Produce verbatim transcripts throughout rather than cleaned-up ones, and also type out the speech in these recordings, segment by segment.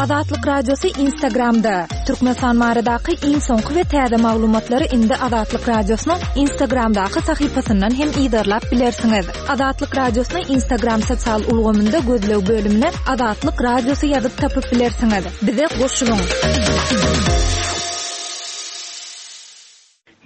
Azatlyk Radiosy Instagramda. Türkmenistan baradaky iň soňky we täze maglumatlary indi Azatlyk Radiosynyň Instagramdaky sahypasyndan hem yzarlap bilersiňiz. Azatlyk Radiosyny Instagram sosial ulgamynda gözleg bölümine Azatlyk Radiosy ýazyp tapyp bilersiňiz. Bize goşulyň.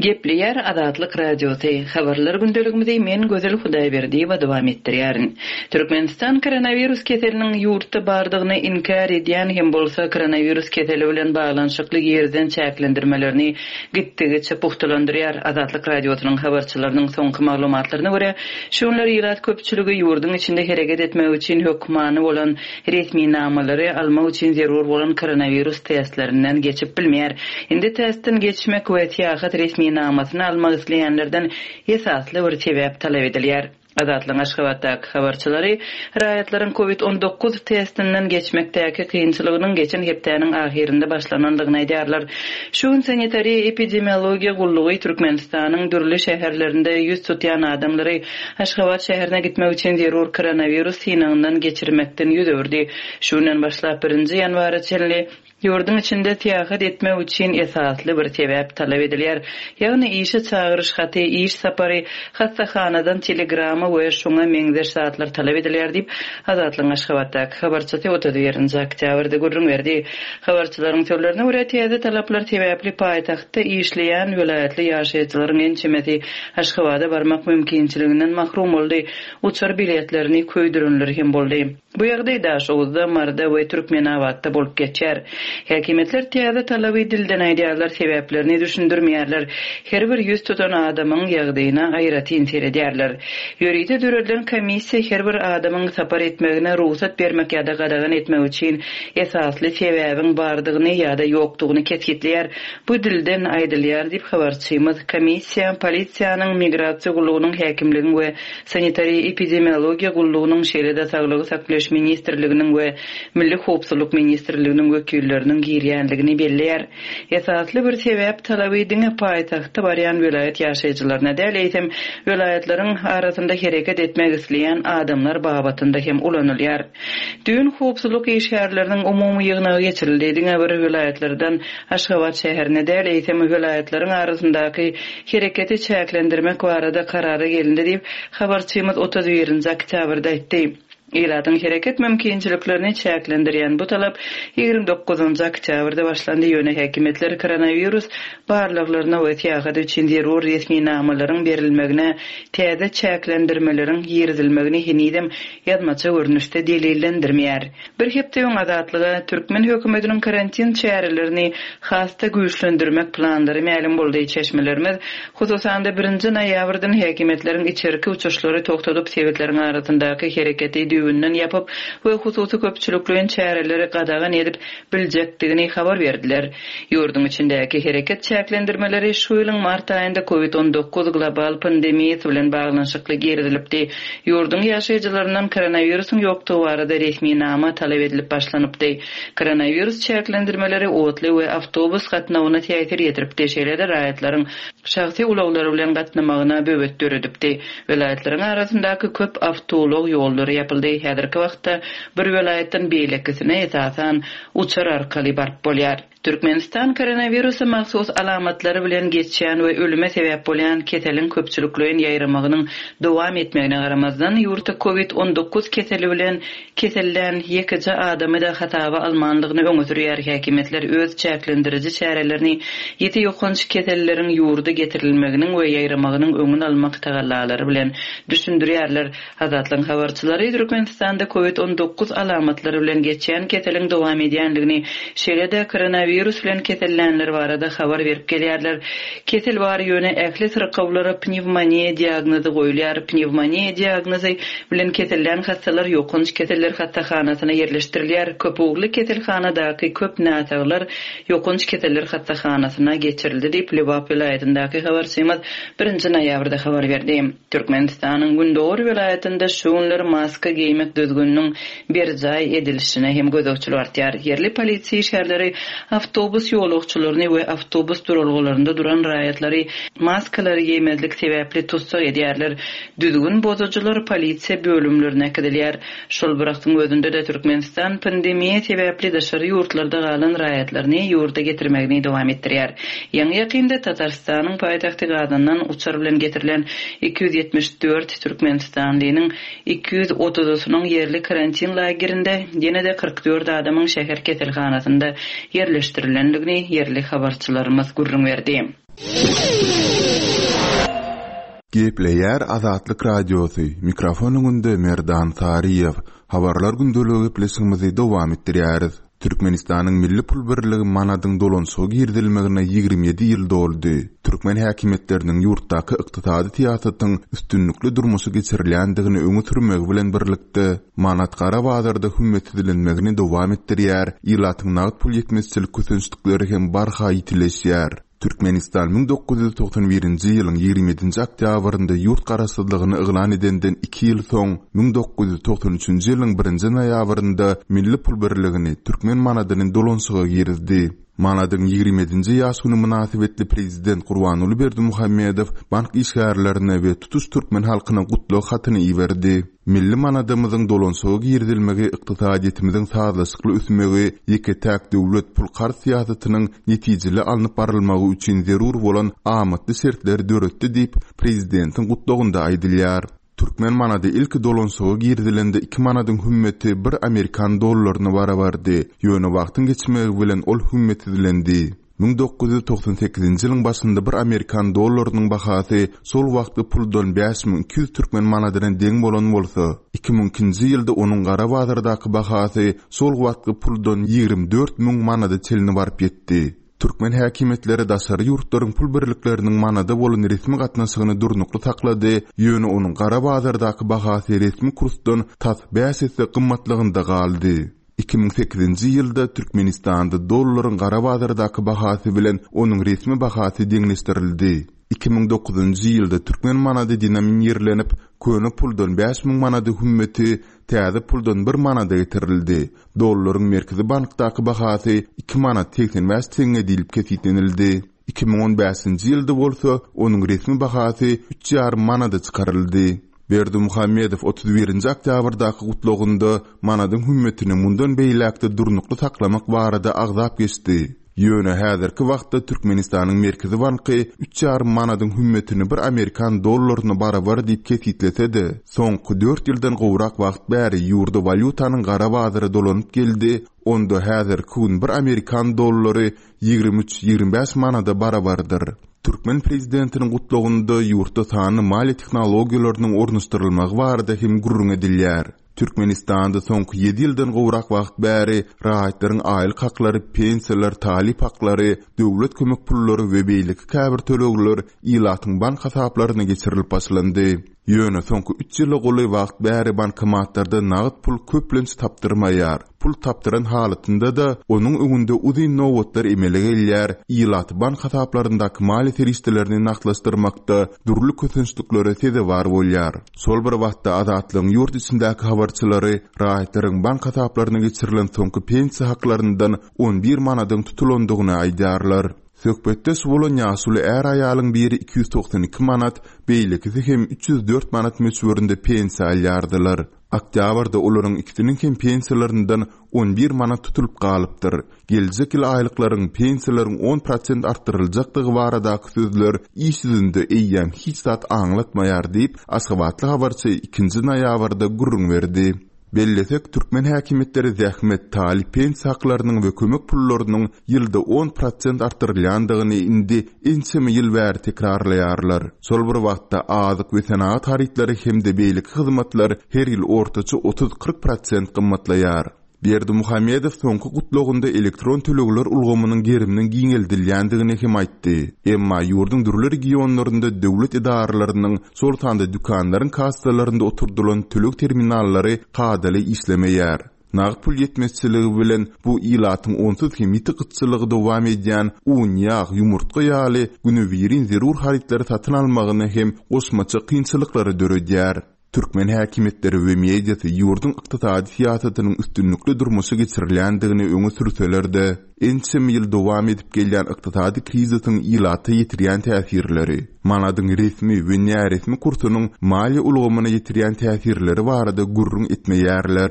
Gepleýär Azatlyk Radiosy. Habarlar gündeligimizi men Gözel Hudaýberdiýewa dowam etdirýärin. Türkmenistan koronawirus keseliniň ýurtda bardygyny inkär edýän hem bolsa koronawirus keseli bilen baglanyşykly girizen çäklendirmelerini gitdigiçe pugtalandyrýar. Azatlyk Radiosynyň habarçylarynyň soňky maglumatlaryna görä, şu günler ilat köpçüligi ýurduň içinde hereket etmek üçin hökmany bolan resminamalary almak üçin zerur bolan koronawirus testlerinden geçip bilmeýär. Indi testden geçmek we syýahat resminamasyny almak isleýänlerden esasly bir sebäp talap edilýär. Azatlygyň Aşgabatdaky habarçylary raýatlaryň COVID on dokuz testinden geçmekdäki kynçylygynyň geçen hepdäniň ahyrynda başlanandygyny aýdýarlar. Şu gün sanitariýa epidemiologiýa gullugy Türkmenistanyň dürli şäherlerinde ýüz tutýan adamlary Aşgabat şäherine gitmek üçin zerur koronawirus synagyndan geçirmekden ýüz öwürdi. Şu günden başlap birinji ýanwara çenli ýurduň içinde syýahat etmek üçin esasly bir sebäp talap edilýär. Ýagny işe çagyryş haty, iş sapary, hassahanadan telegrama we şoňa meňzeş zatlar talap edilýär diýip, Azatlygyň Aşgabatdaky habarçysy otuz birinji oktýabrda gürrüň berdi. Habarçylaryň sözlerine görä täze talaplar sebäpli paýtagtda işleýän welaýatly ýaşaýjylaryň ençemesi Aşgabada barmak mümkinçiliginden mahrum boldy. Uçar biletlerini köýdürenler hem boldy. Bu ýagdaý Daşoguzda, Marda we Türkmenabatda bolup geçýär. Häkimiýetler täze talaby dilden aýdýarlar, sebäplerini düşündirmeýärler. Her bir ýüz tutan adamyň ýagdaýyna aýratyn seredýärler. Ýörite döredilen komissiýa her bir adamyň sapar etmegine rugsat bermek ýa-da gadagan etmek üçin esasly sebäbiň bardygyny ýa-da ýokdugyny kesgitleýär. Bu dilden aýdylýar diýip habarçymyz komissiýa, polisiýanyň, migrasiýa gullugynyň, häkimligiň we sanitariýa epidemiologiýa gullugynyň, şeýle-de saglygy saklaýyş ministrliginiň we Milli howpsuzlyk ministrliginiň wekilleriniň girýänligini belleýär. Esasly bir sebäp talaby diňe paýtagtda barýan welaýat ýaşaýjylaryna däl, eýsem welaýatlaryň arasynda hereket etmek isleýän adamlar babatynda hem ulanylýar. Düýn howpsuzlyk işgärleriniň umumy ýygnagy geçirildi. Diňe bir welaýatlardan Aşgabat şäherine däl, eýsem welaýatlaryň arasyndaky hereketi çäklendirmek barada karara gelindi diýip, habarçymyz otuz birinji oktýabrda aýtdy. Ilatyň hereket mümkinçiliklerini çäklendirýän bu talap ýigrimi dokuzynjy oktýabrda başlandy. Ýöne häkimiýetler koronawirus barlaglaryna we syýahat üçin zerur resminamalaryň berilmegine täze çäklendirmeleriň girizilmegini henizem ýazmaça görnüşde delillendirmeýär. Bir hepde öň Azatlyga türkmen hökümetiniň karantin çärelerini has-da güýçlendirmek planlary mälim boldy. Çeşmelerimiz hususan-da birinji noýabrdan häkimiýetleriň içerki uçuşlary togtadyp sebetleriň arasyndaky hereketi düýbünden ýapyp we hususy köpçülikleýin çäreleri gadagan edip biljekdigini habar berdiler. Ýurduň içindäki hereket çäklendirmeleri şu ýylyň mart aýynda COVID on dokuz global pandemiýasy bilen baglanyşykly girizilipdi. Ýurduň ýaşaýjylaryndan koronawirusyň ýokdugy barada resminama talap edilip başlanypdy. Koronawirus çäklendirmeleri otly we awtobus gatnawyna täsir ýetiripdi. Şeýle-de raýatlaryň şahsy ulaglary bilen gatnamagyna böwet döredipdi. Welaýatlaryň arasyndaky köp awtoulag ýollary ýapyldy. Häzirki wagtda bir welaýatdan beýlekisine esasan uçar arkaly baryp bolýar. Türkmenistan koronawirusa mahsus alamatlary bilen geçýän we ölüme sebäp bolýan keseliň köpçülikleýin ýaýramagynyň dowam etmegine garamazdan ýurtda COVID on dokuz keseli bilen kesellän ýekeje adamy da hasaba almanlygyny öňe sürýär. Häkimiýetler öz çäklendiriji çärelerini ýiti ýokanç keselleriň ýurda getirilmeginiň we ýaýramagynyň öňüni almak tagallalary bilen düşündirýärler. Azatlygyň habarçylary Türkmenistanda COVID on dokuz alamatlary bilen geçýän keseliň dowam edýänligini, şeýle-de koronawirus bilen kesellänler barada habar berip gelýärler. Kesel bar ýöne ähli syrkawlara pnevmoniýa diagnozy goýulýar. Pnevmoniýa diagnozy bilen kesellän hastalar ýokanç keseller hassahanasyna ýerleşdirilýär. Köp ugurly keselhanadaky köp näsaglar ýokanç keseller hassahanasyna geçirildi diýip Lebap welaýatyndaky habarçymyz birinji noýabrda habar berdi. Türkmenistanyň Gündogar welaýatynda şu günler maska geýmek düzgüniniň berjaý edilişine hem gözegçilik artýar. Ýerli polisiýa işgärleri Awtobus ýolagçylaryny we awtobus duralgalarynda duran raýatlary maskalary giýmezlik sebäpli tussag edýärler. Düzgün bozucular polisiýa bölümlerine äkidilýär. Şol bir wagtyň özünde-de Türkmenistan pandemiýa sebäpli daşary ýurtlarda galan raýatlaryny ýurda getirmegini dowam etdirýär. Ýaňy ýakynda Tatarstanyň paýtagty Gazandan uçar bilen getirilen iki ýüz ýetmiş dört Türkmenistanlynyň iki ýüz otuzysynyň ýerli karantin lagerinde ýene-de kyrk dört adamyň şäher keselhanasynda ýerleşdirilendigini ýerli habarçylarymyz gürrüň berdi. Gepleýär Azatlyk Radiosy. Mikrofon öňünde Merdan Saryýew. Habarlar gündeligi gepleşigimizi dowam etdirýäris. Türkmenistanyň milli pul birligi manadyň dolanşyga girizilmegine ýigrimi ýedi ýyl doldy. Türkmen häkimiýetleriniň ýurtdaky ykdysady syýasatyň üstünlikli durmuşa geçirilýändigini öňe sürmegi bilen birlikde manat gara bazarda hümmetsizlenmegini dowam etdirýär, ilatyň nagt pul ýetmezçilik kösençlikleri hem barha ýitileşýär. Türkmenistan müň dokuz ýüz togsan birinji ýylyň ýigrimi ýedinji oktýabrynda ýurt garaşsyzlygyny yglan edenden iki ýyl soň müň dokuz ýüz togsan üçünji ýylyň birinji noýabrynda milli pul birligini türkmen manadyny dolanşyga girizdi. Manadyň ýigrimi ýedinji ýaş güni mynasybetli prezident Gurbanguly Berdimuhamedow bank işgärlerine we tutuş türkmen halkyna gutlag hatyny iberdi. Milli manadymyzyň dolanşyga girizilmegi ykdysadyýetimiziň sazlaşykly ösmegi, ýeke-täk döwlet pul karz syýasatynyň netijeli alnyp barylmagy üçin zerur bolan amatly şertleri döretdi diýip prezidentiň gutlagynda aýdylýar. Türkmen manady ilki dolanşyga girizilende iki manadyň hümmeti bir amerikan dollaryna barabardy. Ýöne wagtyň geçmegi bilen ol hümmetsizlendi. Müň dokuz ýüz togsan sekizinji ýylyň başynda bir amerikan dollarynyň bahasy şol wagtky puldan bäş müň iki ýüz türkmen manadyna deň bolan bolsa, iki müň ikinji ýylda onuň gara bazardaky bahasy şol wagtky puldan ýigrimi dört müň manada çenli baryp ýetdi. Türkmen häkimiýetleri daşary ýurtlaryň pul birlikleriniň manada bolan resmi gatnaşygyny durnukly saklady, ýöne onuň gara bazardaky bahasy resmi kursdan tas bäş esse gymmatlygynda galdy. Iki müň sekizinji ýylda Türkmenistanda dollaryň gara bazardaky bahasy bilen onuň resmi bahasy deňleşdirildi. Iki müň dokuzynjy ýylda türkmen manady denominirlenip, köne puldan bäş müň manady hümmeti täze puldan bir manada getirildi. Dollaryň merkezi bankdaky bahasy iki manat seksen bäş teňňe diýlip kesgitlenildi. Iki müň on bäşinji ýylda bolsa onuň resmi bahasy üç ýarym manada çykaryldy. Berdimuhamedow otuz birinji oktýabrdaky gutlagynda manadyň hümmetini mundan beýläkde durnukly saklamak barada agzap geçdi. Ýöne häzirki wagtda Türkmenistanyň Merkezi banky üç ýarym manadyň hümmetini bir amerikan dollaryna barabar diýip kesgitlese-de, soňky dört ýyldan gowrak wagt bäri ýurda walýutanyň gara bazary dolanyp geldi, onda häzirki gün bir amerikan dollary ýigrimi üç ýigrimi bäş manada barabardyr. Türkmen prezidentiniň gutlagynda ýurtda sanly maliýe tehnologiýalarynyň ornaşdyrylmagy barada hem gürrüň edilýär. Türkmenistanda soňky ýedi ýyldan gowrak wagt bäri raýatlaryň aýlyk haklary, pensiýalar, talyp haklary, döwlet kömek pullary we beýleki käbir tölegler ilatyň bank hasaplaryna geçirilip başlandy. Ýöne soňky üç ýyla golaý wagt bäri bankomatlarda nagt pul köplenç tapdyrmaýar. Pul tapdyran halatynda-da onuň öňünde uzyn nobatlar emele gelýär. Ilat bank hasaplaryndaky maliýe serişdelerini nagtlaşdyrmakda dürli kösençliklere sezewar bolýar. Şol bir wagtda Azatlygyň ýurt içindäki habarçylary raýatlaryň bank hasaplaryna geçirilen soňky pensiýa haklaryndan on bir manadyň tutulandygyny aýdýarlar. Söhbetdeş bolan ýaşuly är aýalyň biri iki ýüz togsan iki manat, beýlekisi hem üç ýüz dört manat möçberinde pensiýa alýardylar. Oktýabrda olaryň ikisiniň hem pensiýalaryndan on bir manat tutulyp galypdyr. Geljek ýyl aýlyklaryň pensiýalaryň on prosent artdyryljakdygy baradaky sözler iş ýüzünde eýýäm hiç zat aňlatmaýar diýip, Aşgabatly habarçy ikinji noýabrda gürrüň berdi. Bellesek, türkmen häkimiýetleri zähmet, talyp pensiýa haklarynyň we kömek pullarynyň ýylda on prosent artdyrylýandygyny indi ençeme ýyl bäri tekrarlaýarlar. Şol bir wagtda azyk we senagat harytlary hem-de beýleki hyzmatlar her ýyl ortaça otuz kyrk prosent gymmatlaýar. Berdimuhamedow soňky gutlagynda elektron tölegler ulgamynyň geriminiň giňeldilýändigini hem aýtdy. Emma ýurduň dürli regionlarynda döwlet edaralarynyň, şol sanda dükanlaryň kassalarynda oturdylan töleg terminallary kadaly işlemeýär. Nagt pul ýetmezçiligi bilen bu ilatyň onsuz hem ýiti gytçylygy dowam edýän un, ýag, ýumurtga ýaly günübirin zerur harytlary satyn almagyny hem goşmaça kynçylyklary döredýär. Türkmen häkimiýetleri we mediasy ýurduň ykdysady syýasatynyň üstünlikli durmuşa geçirilýändigini öňe sürseler-de, ençeme ýyl dowam edip gelýän ykdysady krizisiň ilata ýetirýän täsirleri, manadyň resmi we näresmi kursunyň maliýe ulgamyna ýetirýän täsirleri barada gürrüň etmeýärler.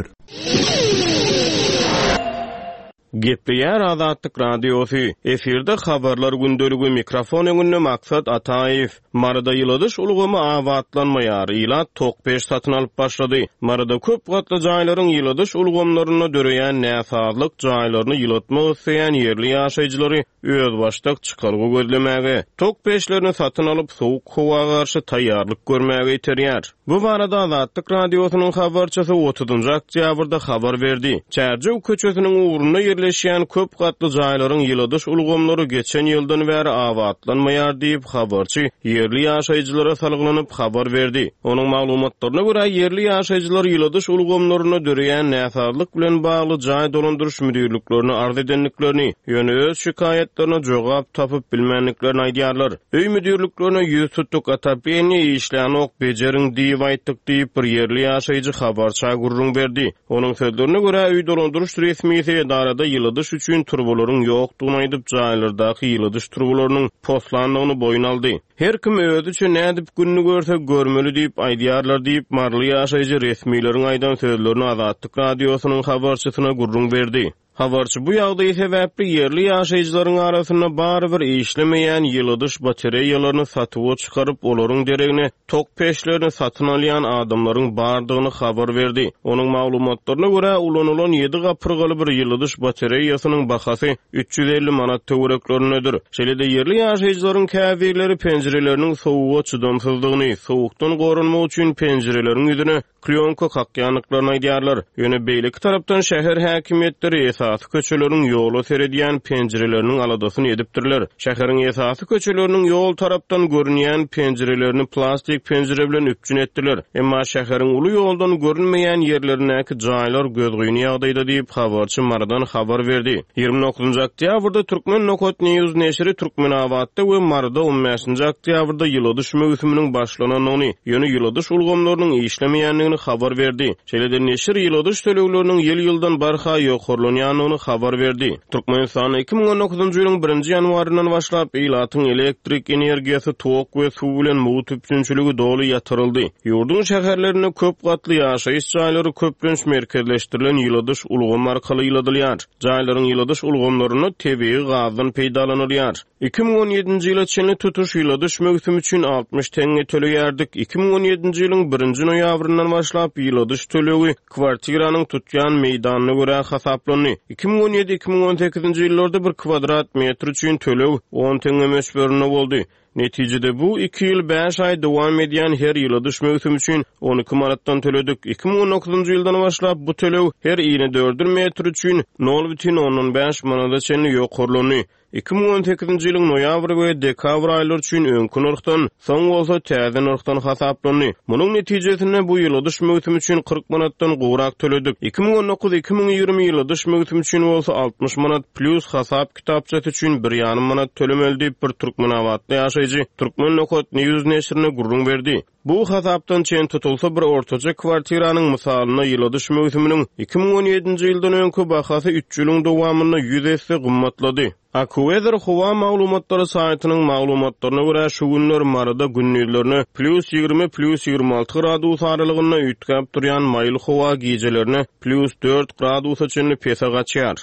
Gepleýär Azatlyk Radiosy. Efirde habarlar gündeligi mikrofon öňünde Maksat Ataýew. Maryda ýyladyş ulgamy abatlanmaýar. Ilat tok peç satyn alyp başlady. Maryda köp gatly jaýlaryň ýyladyş ulgamlarynda döreýän näsazlyk jaýlaryny ýylatmak isleýän ýerli ýaşaýjylary özbaşdak çykalga gözlemäge, tok peçlerini satyn alyp sowuk howa garşy taýýarlyk görmäge iterýär. Bu barada Azatlyk Radiosynyň habarçysy otuzynjy oktýabrda habar berdi. Çärjew köçesiniň ugrunda ýerleşýän köp gatly jaýlaryň ýyladyş ulgamlary geçen ýyldan bäri abatlanmaýar diýip habarçy ýerli ýaşaýjylara salgylanyp habar berdi. Onuň maglumatlaryna görä ýerli ýaşaýjylar ýyladyş ulgamlaryna döreýän näsazlyk bilen bagly jaý dolandyryş müdirliklerine arz edendiklerini, ýöne öz şikaýatlaryna jogap tapyp bilmändiklerini aýdýarlar. Öý müdirliklerine ýüz tutduk otopeniýa işlän ok bejeriň diýip aýtdyk diýip bir ýerli ýaşaýjy habarça gürrüň berdi. Onuň sözlerine görä öý dolandyryş resmisi edarada ýyladyş üçin turbalaryň ýokdugyny aýdyp jaýlardaky ýyladyş turbalarynyň poslandygyny boýun aldy. Her kim özüçe nädip gününi görse görmeli diýip aýdýarlar diýip maryly ýaşaýjy resmileriň aýdan sözlerini Azatlyk Radiosynyň habarçysyna gürrüň berdi. Habarçy bu ýagdaýy sebäpli ýerli ýaşaýjylaryň arasynda barybir işlemeýän ýyladyş batareýalaryny satuwa çykaryp, olaryň deregine tok peçlerini satyn alýan adamlaryň bardygyny habar berdi. Onuň maglumatlaryna görä ulanylan ýedi gapyrgaly bir ýyladyş batareýasynyň bahasy üç ýüz elli manat töwereklerindedir. Şeýle-de ýerli ýaşaýjylaryň käbirleri penjireleriniň sowuga çydamsyzdygyny, sowukdan goranmak üçin penjireleriň ýüzüne klýonka kakýandyklaryny aýdýarlar. Ýöne beýleki tarapdan şäher häkimiýetleri esasy köçeleriň ýola seredýän penjireleriniň aladasyny edipdirler. Şäheriň esasy köçeleriniň ýol tarapdan görünýän penjirelerini plastik penjire bilen üpjün etdiler. Emma şäheriň uly ýoldan görünmeýän ýerlerindäki jaýlar gözgyny ýagdaýda diýip habarçy Marydan habar berdi. Ýigrimi dokuzynjy oktýabrda Türkmen Nokat News neşiri Türkmenabatda we Maryda on bäşinji oktýabrda ýyladyş möwsüminiň başlanandygyny, ýöne ýyladyş ulgamlarynyň işlemeýändigini habar berdi. Şeýle-de neşir ýyladyş tölegleriniň ýyl-ýyldan barha ýokarlanýandygyny habar berdi. Türkmenistanda iki müň on dokuzynjy ýylyň birinji ýanwaryndan başlap ilatyň elektrik energiýasy, tok we suw bilen mugt üpjünçiligi doly ýatyryldy. Ýurduň şäherlerinde köp gatly ýaşaýyş jaýlary köplenç merkezleşdirilen ýyladyş ulgamy arkaly ýyladylýar. Jaýlaryň ýyladyş ulgamlarynda tebigy gazdan peýdalanylýar. Iki müň on ýedinji ýyla çenli tutuş ýyladyş möwsümi üçin altmyş teňňe töleýärdik. Iki müň on ýedinji ýylyň birinji noýabryndan başlap ýyladyş tölegi kwartiranyň tutýan meýdanyna görä hasaplandy. Iki müň on ýedi, iki müň on sekizinji ýyllarda bir kvadrat metr üçin töleg on teňňe möçberinde boldy. Netijede bu iki ýyl bäş aý dowam edýän her ýyladyş möwsümi üçin on iki manatdan töledik. Iki müň on dokuzynjy ýyldan başlap bu töleg her ýyly dört metr üçin nol bütin ondan bäş manada çenli ýokarlandy. Iki müň on sekizinji ýylyň noýabr we dekabr aýlary üçin öňki nyrhdan, soň bolsa täze nyrhdan hasaplandy. Munuň netijesinde bu ýyladyş möwsümi üçin kyrk manatdan gowrak töledik. Iki müň on dokuz, iki müň ýigrimi ýyladyş möwsümi üçin bolsa altmyş manat plus hasap kitapçasy üçin bir ýarym manat tölemeli diýip bir Türkmenabatly ýaşaýjy Türkmen Nokat News neşirine gürrüň berdi. Bu hasapdan çen tutulsa bir ortaça kwartiranyň mysalynda ýyladyş möwsüminiň iki müň on ýedinji ýyldan öňki bahasy üç ýylyň dowamynda ýüz esse gymmatlady. AccuWeather howa maglumatlary saýtynyň maglumatlaryna görä şu günler Maryda gündizlerine plus ýigrimi, plus ýigrimi alty gradus aralygynda üýtgäp durýan maýyl howa gijelerine plus dört gradusa çenli pese gaçýar.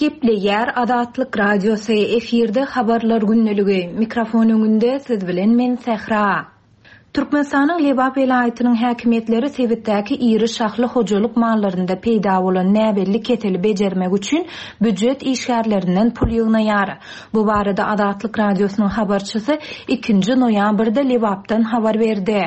Gepleýär Azatlyk Radiosy efirde habarlar gündeligi. Mikrofon öňünde siz bilen men Sähra. Türkmenistanyň Lebap welaýatynyň häkimiýetleri sebitdäki iri şahly hojalyk mallarynda peýda bolan näbelli keseli bejermek üçin býujet işgärlerinden pul ýygnaýar. Bu barada Azatlyk Radiosynyň habarçysy ikinji noýabrda Lebapdan habar berdi.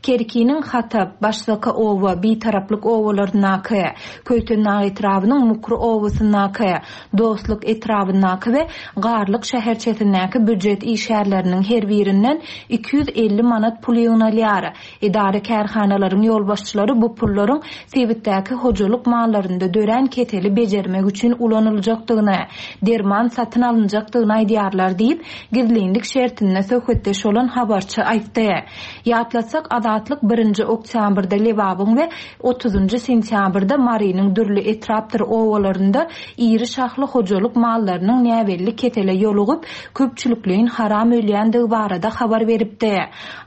Kerkiniň Hatap, Başsaka oba, Bitaraplyk obalaryndaky, Köýtendag etrabynyň Mukry obasyndaky, Dostluk etrabyndaky we Garlyk şäherçesindäki býujet işgärleriniň her birinden iki ýüz elli manat pul ýygnalýar. Edara kärhanalaryň ýolbaşçylary bu pullaryň sebitdäki hojalyk mallarynda dörän keseli bejermek üçin ulanyljakdygyny, derman satyn alynjakdygyny aýdýarlar diýip, gizlinlik şertinde söhbetdeş bolan habarçy aýtdy. Ýatlatsak, Azatlyk birinji oktýabrda Lebabyň we otuzynjy sentýabrda Marynyň dürli etrapdyr obalarynda iri şahly hojalyk mallarynyň näbelli kesele ýolugyp, köpçülikleýin haram ölýändigi barada habar beripdi.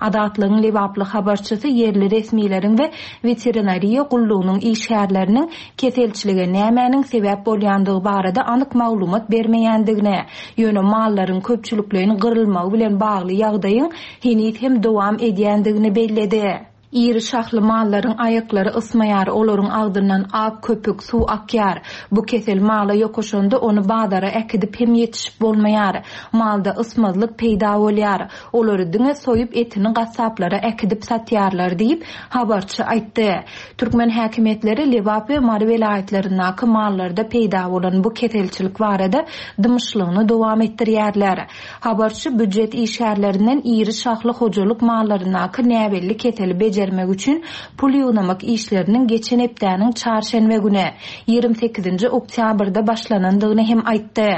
Azatlygyň Lebaply habarçysy ýerli resmileriň we veterinariýa gullugynyň işgärleriniň keselçilige nämäniň sebäp bolýandygy barada anyk maglumat bermeýändigini, ýöne mallaryň köpçülikleýin gyrylmagy bilen bagly ýagdaýyň heniz hem dowam edýändigini belledi. Iri şahly mallaryň aýaklary ysmaýar, olaryň agzyndan ak köpük suw akýar. Bu kesel mala ýokaşanda ony bazara äkidip hem ýetişip bolmaýar. Malda ysmazlyk peýda bolýar. Olary diňe soýup etini gassaplara äkidip satýarlar diýip, habarçy aýtdy. Türkmen häkimiýetleri Lebap we Mary welaýatlaryndaky mallarda peýda bolan bu keselçilik barada dymyşlygyny dowam etdirýärler. Habarçy býujet işgärlerinden iri şahly hojalyk mallaryndaky näbelli keseli bejermek üçin pul ýygnamak işleriniň geçen hepdäniň çarşenbe güni, ýigrimi sekizinji oktýabrda başlanandygyny hem aýtdy.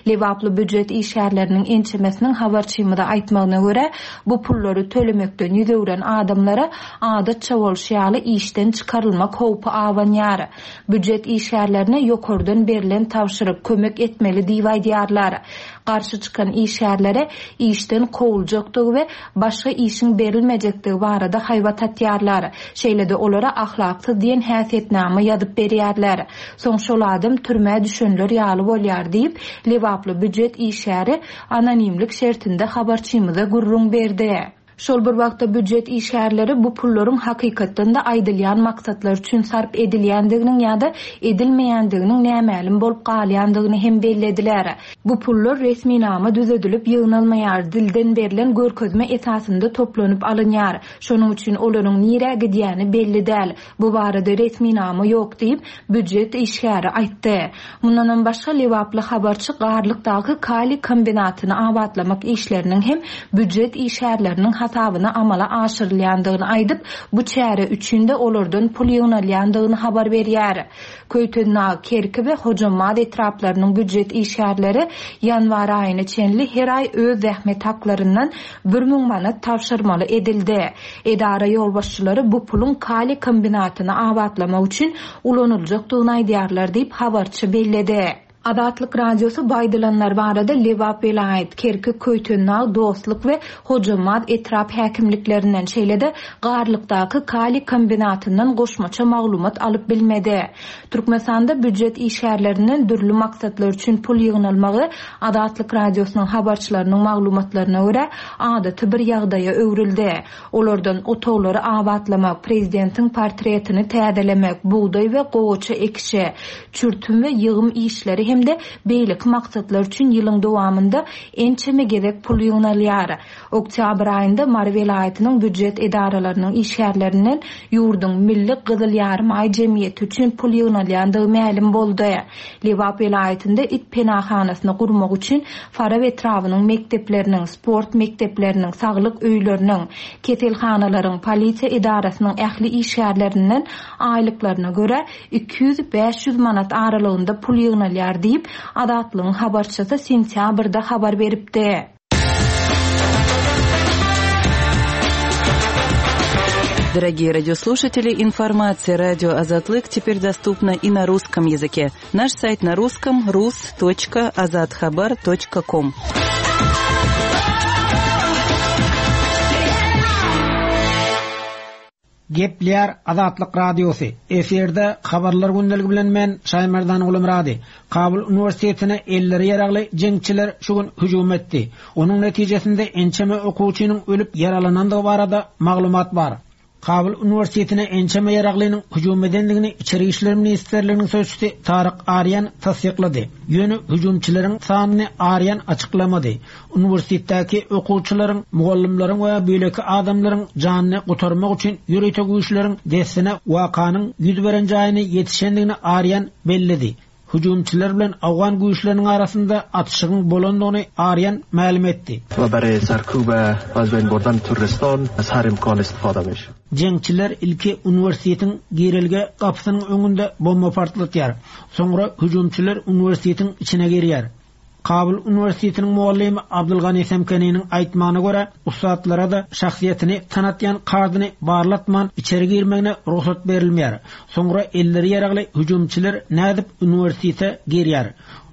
Lebaply býujet işgärleriniň ençemesiniň habarçymyza aýtmagyna görä, bu pullary tölemekden ýüz öwren adamlara adatça bolşy ýaly işden çykarylmak howpy abanýar. Býujet işgärlerine ýokardan berlen tabşyryk kömek etmeli diýip aýdýarlar. Garşy çykan işgärlere işden kowuljakdygy we başga işiň berilmejekdigi barada haýbat atýarlar. Şeýle-de olara ahlaksyz diýen häsiýetnama ýazyp berýärler. Soň şol adam türmä düşenler ýaly bolýar diýip, Lebaply býujet işgäri anonimlik şertinde habarçymyza gürrüň berdi. Şol bir wagtda býujet işgärleri bu pullaryň hakykatdan-da aýdylýan maksatlar üçin sarp edilýändiginiň ýa-da edilmeýändiginiň nämälim bolup galýandygyny hem bellediler. Bu pullar resminama düzedilip ýygnalmaýar, dilden berlen görkezme esasynda toplanyp alynýar. Şonuň üçin olaryň nirä gidýäni belli däl. Bu barada resminama ýok diýip, býujet işgäri aýtdy. Mundanam başga Lebaply habarçy Garlykdaky kali kombinatyny abatlamak işleriniň hem býujet işgärleriniň hasabyna amala aşyrylýandygyny aýdyp, bu çäre üçin de olardan pul ýygnalýandygyny habar berýär. Köýtendag, Kerki we Hojambaz etraplarynyň býujet işgärleri ýanwar aýyna çenli her aý öz zähmet haklaryndan bir müň manat tabşyrmaly edildi. Edara ýolbaşçylary bu puluň kali kombinatyny abatlamak üçin ulanyljakdygyny aýdýarlar diýip habarçy belledi. Azatlyk Radiosy bu aýdylanlar barada Lebap welaýat, Kerki, Köýtendag, Dostluk we Hojambaz etrap häkimliklerinden, şeýle-de Garlykdaky kali kombinatyndan goşmaça maglumat alyp bilmedi. Türkmenistanda býujet işgärlerinden dürli maksatlar üçin pul ýygnalmagy Azatlyk Radiosynyň habarçylarynyň maglumatlaryna görä adaty bir ýagdaýa öwrüldi. Olardan otaglary abatlamak, prezidentiň portretini täzelemek, bugdaý we gowaça ekişi, çürtüm we ýygym işleri hem-de beýleki maksatlar üçin ýylyň dowamynda ençeme gezek pul ýygnalýar. Oktýabr aýynda Mary welaýatynyň býujet edaralarynyň işgärlerinden ýurduň Milli Gyzyl Ýarymaý jemgyýeti üçin pul ýygnalýandygy mälim boldy. Lebap welaýatynda it penahanasyny gurmak üçin Farap etrabynyň mekdepleriniň, sport mekdepleriniň, saglyk öýleriniň, keselhanalaryň, polisiýa edarasynyň ähli işgärlerinden aýlyklaryna görä iki ýüz bäş ýüz manat aralygynda pul ýygnalýar diýip, Azatlygyň habarçysy sentýabrda habar beripdi. Дорогие радиослушатели, информация радио Азатлык теперь доступна и на русском языке. Наш сайт на русском рус точка азатхабар точка ком. Gepleýär Azatlyk Radiosy. Efirde habarlar gündeligi bilen men Şaýmerdan Gulumrady. Kabul Uniwersitetine elleri ýaragly jeňçiler şu gün hüjüm etdi. Onuň netijesinde ençeme okuwçynyň ölüp ýaralanandygy barada maglumat bar. Kabul Uniwersitetine ençeme ýaraglynyň hüjüm edendigini Içeri İşler Ministrliginiň sözçüsi Taryk Aryan tassyklady. Ýöne hüjümçileriň sanyny Aryan açyklamady. Uniwersitetdäki okuwçylaryň, mugallymlaryň we beýleki adamlaryň janyny gutarmak üçin ýörite güýçleriň dessine wakanyň ýüz beren jaýyny ýetişendigini Aryan belledi. Hüjümçiler bilen Awgan güýçleriniň arasynda atyşygyň bolandygyny Arýan mälim etdi. و برای سرکوب و از بین بردن تروریستان از هر امکان استفاده میشه. Jeňçiler ilki uniwersitetiň girelge gapysynyň öňünde bomba partlatýar. Soňra hüjümçiler uniwersitetiň içine girýär. Kabul Uniwersitetiniň muallimi Abdulgani Semkeniniň aýtmagyna görä, ussatlara da şahsyýetini tanatýan kardyny barlatman içeri girmegine rugsat berilmeýär. Soňra elleri ýaragly hüjümçiler nädip uniwersitete girýär?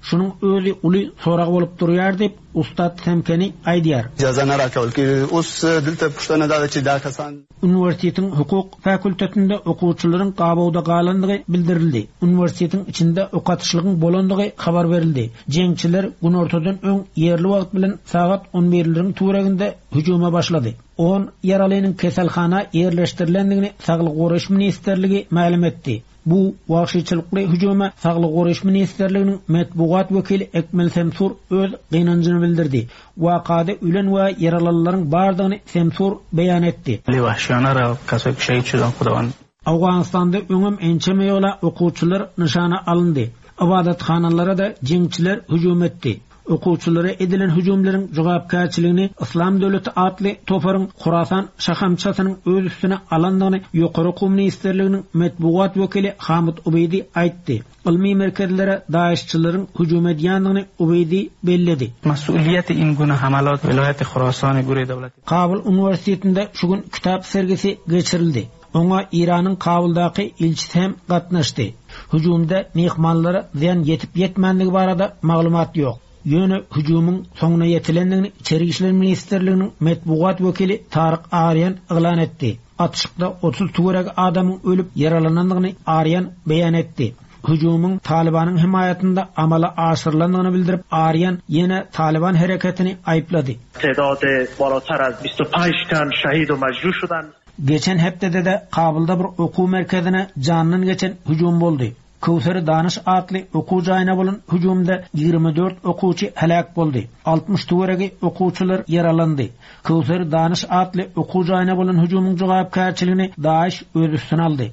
Şunuň özi uly sorag bolup durýar diýip Ustat Semkeni aýdýar. اجازه نه راکول کیږي اوس دلته پوښتنه دا ده چې دا کسان Uniwersitetiň hukuk fakultetinde okuwçylaryň gabawda galandygy bildirildi. Uniwersitetiň içinde okatyşlygyň bolandygy habar berildi. Jeňçiler günortadan öň ýerli wagt bilen sagat on birleriň töwereginde hüjüme başlady. On ýaralynyň keselhana ýerleşdirilendigini Saglyk Goraýyş Ministrligi mälim etdi. Bu wagşyçylykly hüjüme Saglyk Goraýyş Ministrliginiň metbugat wekili Ekmel Semsur öz gynanjyny bildirdi. Wakada ölen we ýaralylaryň bardygyny Semsur beýan etdi. وحشیانه را کسایی که شهید شدن خداوند Awganystanda öňem ençeme ýola okuwçylar nyşana alyndy. Ibadatxanalara da jeňçiler hüjüm etdi. Okuwçylara edilen hüjümleriň jogapkärçiligini Islam Döwleti atly toparyň Khurasan şahamçasynyň öz üstüne alandygyny Ýokary Okuw Ministrliginiň metbugat wekili Hamid Ubeýdi aýtdy. Ylmy merkezlere DAEŞçilerin hüjüm edýändigini Ubeýdi belledi. مسئولیت این گونه حملات ولایت خراسان گروه دولتی Kabul Uniwersitetinde şu gün kitap sergisi geçirildi. Oňa Iranyň Kabuldaky ilçisi hem gatnaşdy. Hüjümde mehmanlara zyýan ýetip ýetmänligi barada maglumat ýok. Ýöne hüjümiň soňuna ýetilendigini Içeri İşler Ministrliginiň metbugat wekili Taryk Arýan yglan etdi. Atyşykda otuz töwerek adamyň ölüp ýaralanandygyny Arýan beýan etdi. Hüjümiň Talibanyň himaýatynda amala aşyrylandygyny bildirip Arýan ýene Taliban hereketini aýyplady. تعداد بالاتر از بیست و پنج تن شهید و مجروح شدند. Geçen hepdede de Kabulda bir okuw merkezine jandan geçen hüjüm boldy. Kowsar Daniş atly okuw jaýyna bolan hüjümde ýigrimi dört okuwçy helak boldy. Altmyş töweregi okuwçylar ýaralandy. Kowsar Daniş atly okuw jaýyna bolan hüjümiň jogapkärçiligini DAEŞ öz üstüne aldy.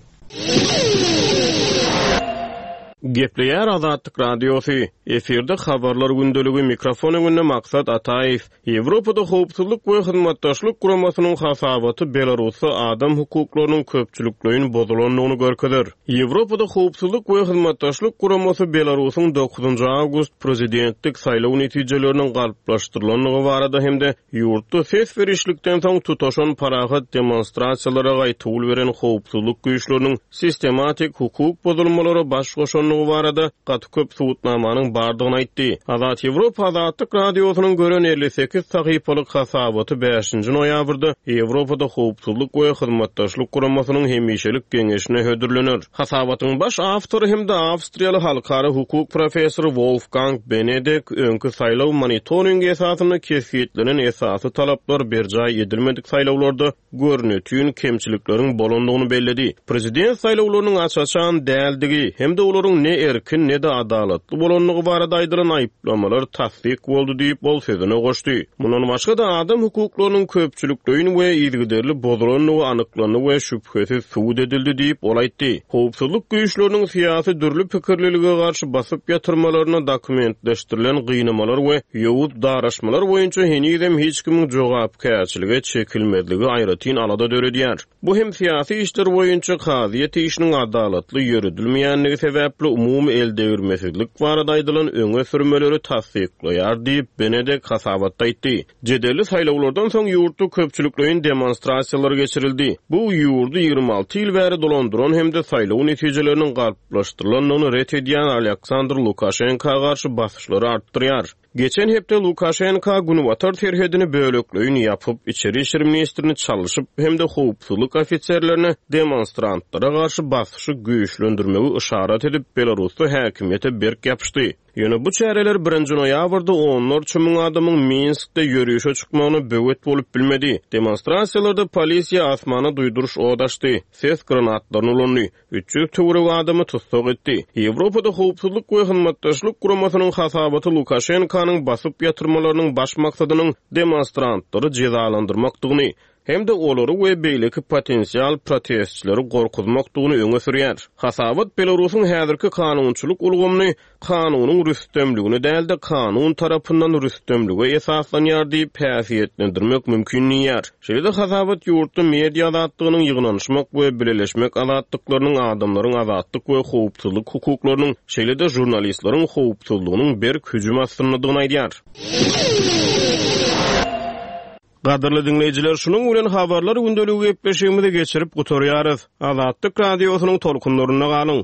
Gepleýär Azatlyk Radiosy. Efirde habarlar gündeligi mikrofon öňünde Maksat Ataýew. Ýewropada howpsuzlyk we hyzmatdaşlyk guramasynyň hasabaty Belarusda adam hukuklarynyň köpçülikleýin bozulandygyny görkezer. Ýewropada howpsuzlyk we hyzmatdaşlyk guramasy Belarusyň dokuzynjy awgust prezidentlik saýlaw netijeleriniň galplaşdyrylandygy barada hem-de ýurtda ses berişlikden soň tutaşan parahat demonstrasiýalara gaýtawul beren howpsuzlyk güýçleriniň sistematik hukuk bozulmalara baş goşandygy barada gaty köp subutnamanyň bardygyny aýtdy. Azat Ýewropa Azatlyk Radiosynyň gören elli sekiz sahypalyk hasabaty bäşinji noýabrda Ýewropada howpsuzlyk we hyzmatdaşlyk guramasynyň hemişelik geňeşine hödürlenir. Hasabatyň baş awtory hem-de Awstriýaly halkara hukuk professory Wolfgang Benedek öňki saýlaw monitoringi esasynda kesgitlenen esasy talaplar berjaý edilmedik saýlawlarda görnütün kemçilikleriň bolandygyny belledi. Prezident saýlawlarynyň aç-açan däldigi hem-de olaryň ne erkin ne de adalatly bolandygy barada aýdylan aýyplamalar tassyk boldy diýip ol sözüne goşdy. Mundan başga da adam hukuklarynyň köpçülikleýin we yzygiderli bozulandygy anyklandy we şübhesiz subut edildi diýip ol aýtdy. Howpsuzlyk güýçleriniň syýasy dürli pikirlilige garşy basyp ýatyrmalaryna dokumentleşdirilen gynamalar we ýowuz daraşmalar boýunça henizem hiç kimiň jogapkärçilige çekilmezligi aýratyn alada döredýär. Bu hem syýasy işler boýunça kazyýet işiniň adalatly ýöredilmeýänligi sebäpli umumy eldegirmesizlik barada aýdylan öňe sürmeleri tassyklaýar diýip Benedek hasabatda aýtdy. Jedelli saýlawlardan soň ýurtda köpçülikleýin demonstrasiýalar geçirildi. Bu ýurdy ýigrimi alty ýyl bäri dolandyran hem-de saýlaw netijeleriniň galplaşdyrylandygyny ret edýän Aleksandr Lukaşenka garşy basyşlary artdyrýar. Geçen hepde Lukaşenka Günbatar serhedini bölekleýin ýapyp, içeri işler ministrini çalyşyp hem-de howpsuzlyk ofiserlerine demonstrantlara garşy basyşy güýçlendirmegi yşarat edip Belarusda häkimiýete berk ýapyşdy. Ýöne bu çäreler birinji noýabrda onlarça müň adamyň Minskde ýörişe çykmagyna böwet bolup bilmedi. Demonstrasiýalarda polisiýa asmana duýduryş odaşdy, ses granatlaryny ulandy, üç ýüz töweregi adamy tussag etdi. Ýewropada howpsuzlyk we hyzmatdaşlyk guramasynyň hasabaty Lukaşenkanyň basyp ýatyrmalarynyň baş maksadynyň demonstrantlary jezalandyrmakdygyny, hem-de olary we beýleki potensial protestçileri gorkuzmakdygyny öňe sürýär. Hasabat Belarusyň häzirki kanunçylyk ulgamyny kanunyň rüstemligine däl-de, kanun tarapyndan rüstemlige esaslanýar diýip häsiýetlendirmek mümkin diýýär. Şeýle-de hasabat ýurtda media azatlygynyň, ýygnanyşmak we bileleşmek azatlyklarynyň, adamlaryň azatlyk we howpsuzlyk hukuklarynyň, şeýle-de žurnalistleriň howpsuzlygynyň berk hüjüm astyndadygyny aýdýar. Gadyrly diňleýjiler, şunuň bilen habarlar gündeligi gepleşigimizi geçirip gutarýarys. Azatlyk radiosynyň tolkunlarynda galyň.